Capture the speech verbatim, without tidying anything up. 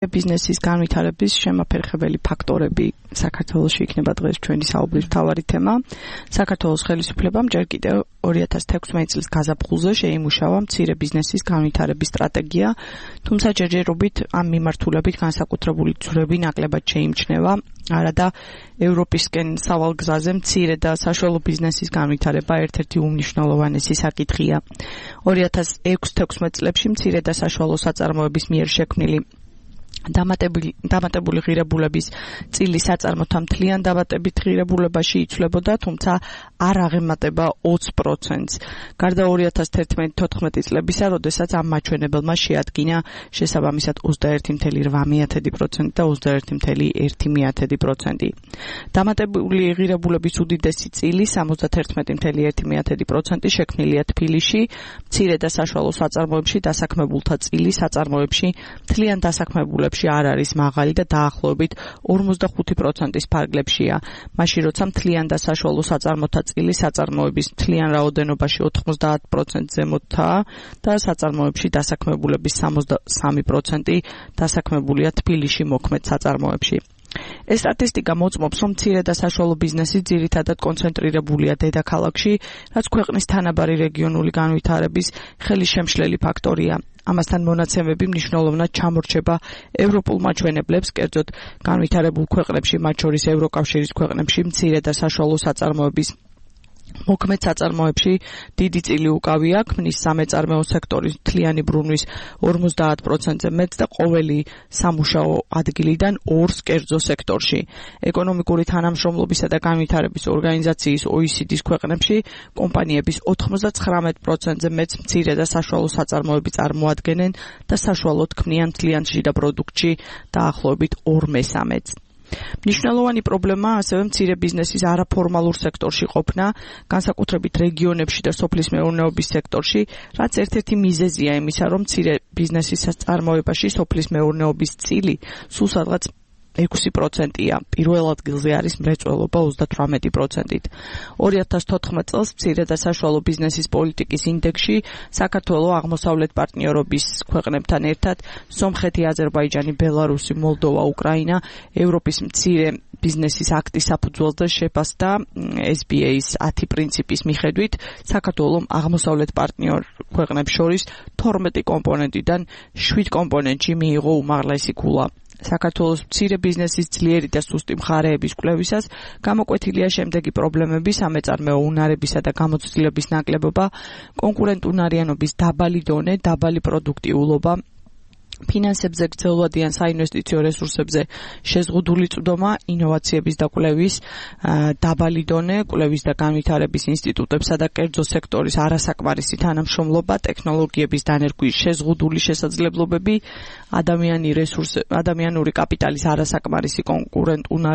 ბიზნესის განვითარების შემაფერხებელი ფაქტორები საქართველოში იქნება დღეს ჩვენი საუბრის მთავარი თემა. საქართველოს ხელისუფლებამ ჯერ კიდევ ორი ათას თექვსმეტი წლის გაზაფხულზე შეიმუშავა მცირე ბიზნესის განვითარების სტრატეგია, თუმცა ჯერჯერობით ამ მიმართულებით განსაკუთრებული ძვრები ნაკლებად შეიმჩნევა. არადა ევროპისკენ სავალგზაზე მცირე და საშუალო ბიზნესის განვითარება ერთ-ერთი უმნიშვნელოვანესი საკითხია. ორი ათას ექვსი-თექვსმეტი წლებში მცირე და საშუალო საწარმოების მიერ შექმნილი დამატებული დამატებული ღირებულების წილი საწარმოთა მთლიან დამატებით ღირებულებაში იცვლებოდა, თუმცა არ აღემატება ოცი პროცენტს. გარდა ორი ათას თერთმეტი-თოთხმეტი წლებისა, როდესაც ამ მაჩვენებელმა შეადგინა შესაბამისად ოცდაერთი წუთი რვა პროცენტი და ოცდაერთი წუთი ერთი პროცენტი. დამატებული ღირებულების უდიდესი წილი სამოცდათერთმეტი წუთი ერთი პროცენტი შექმნილია თბილისში, მცირე და საშუალო საწარმოებში დასაქმებულთა წილი საწარმოებში მთლიან დასაქმებულებს არ არის მაღალი და დაახლოებით ორმოცდახუთი პროცენტის ფარგლებშია. მაშინ როცა მთლიან და საშუალო საწარმოთა წილი საწარმოების მთლიან რაოდენობაში ოთხმოცდაათ პროცენტს ზემოთაა და საწარმოებში დასაქმებულების სამოცდასამი პროცენტი დასაქმებულია თბილისში მოქმედ საწარმოებში. ეს სტატისტიკა მოწმობს, რომ მცირე და საშუალო ბიზნესი ძირითადად კონცენტრირებულია დედაქალაქში, რაც ქვეყნის თანაბარი რეგიონული განვითარების ხელისშემშლელი ფაქტორია. ამასთან მონაცემები მნიშვნელოვნად ჩამორჩება ევროპულ მაჩვენებლებს, კერძოდ განვითარებულ ქვეყნებში, მათ შორის ევროკავშირის ქვეყნებში მცირე და საშუალო საწარმოების მოქმედ საწარმოებში დიდი წილი უკავია, ქმნის სამეწარმეო სექტორის მთლიანი ბრუნვის ორმოცდაათ პროცენტზე მეტს და ყოველი სამუშაო ადგილიდან ორს კერძო სექტორში. ეკონომიკური თანამშრომლობისა და განვითარების ორგანიზაციის O E C D-ის ქვეყნებში კომპანიების ოცდაცხრამეტ პროცენტზე მეტს მცირე და საშუალო საწარმოები წარმოადგენენ და საშუალოდ ქმნიან მთლიან შიდა პროდუქტში დაახლოებით ორ მესამედს. მნიშვნელოვანი პრობლემაა ასევე მცირე ბიზნესის არაფორმალურ სექტორში ყოფნა, განსაკუთრებით რეგიონებში და სოფლის მეურნეობის სექტორში, რაც ერთ-ერთი მიზეზია იმისა, რომ მცირე ბიზნესის წარმოებაში სოფლის მეურნეობის წილი სულ სადღაც ექვსი პროცენტია. პირველ ადგილზე არის მრეწველობა ოცდათვრამეტი პროცენტით. ორი ათას თოთხმეტ წელს მცირე და საშუალო ბიზნესის პოლიტიკის ინდექსში საქართველო აღმოსავლეთ პარტნიორობის ქვეყნებთან ერთად სომხეთი, აზერბაიჯანი, ბელარუსი, მოლდოვა, უკრაინა ევროპის მცირე ბიზნესის აქტის საფუძველზე შეფასდა S B A-ის ათი პრინციპის მიხედვით საქართველომ აღმოსავლეთ პარტნიორ ქვეყნებს შორის თორმეტი კომპონენტიდან შვიდ კომპონენტში მიიღო უმაღლესი ქულა. საქართველოს მცირე ბიზნესის ძლიერი და სუსტი მხარეების კვლევისას გამოკვეთილია შემდეგი პრობლემები: სამეწარმეო უნარებისა და გამოცდილების ნაკლებობა, კონკურენტუნარიანობის დაბალი დონე, დაბალი პროდუქტიულობა, ფინანსებზე გრძელვადიან საინვესტიციო რესურსებზე შეზღუდული წვდომა, ინოვაციების და კვლევის დაბალი დონე, კვლევის და განვითარების ინსტიტუტებსა და კერძო სექტორის არასაკმარისი თანამშრომლობა, ტექნოლოგიების დანერგვის შეზღუდული შესაძლებლობები, ადამიანი რესურსი, ადამიანური კაპიტალის არასაკმარისი კონკურენტუნარიანობა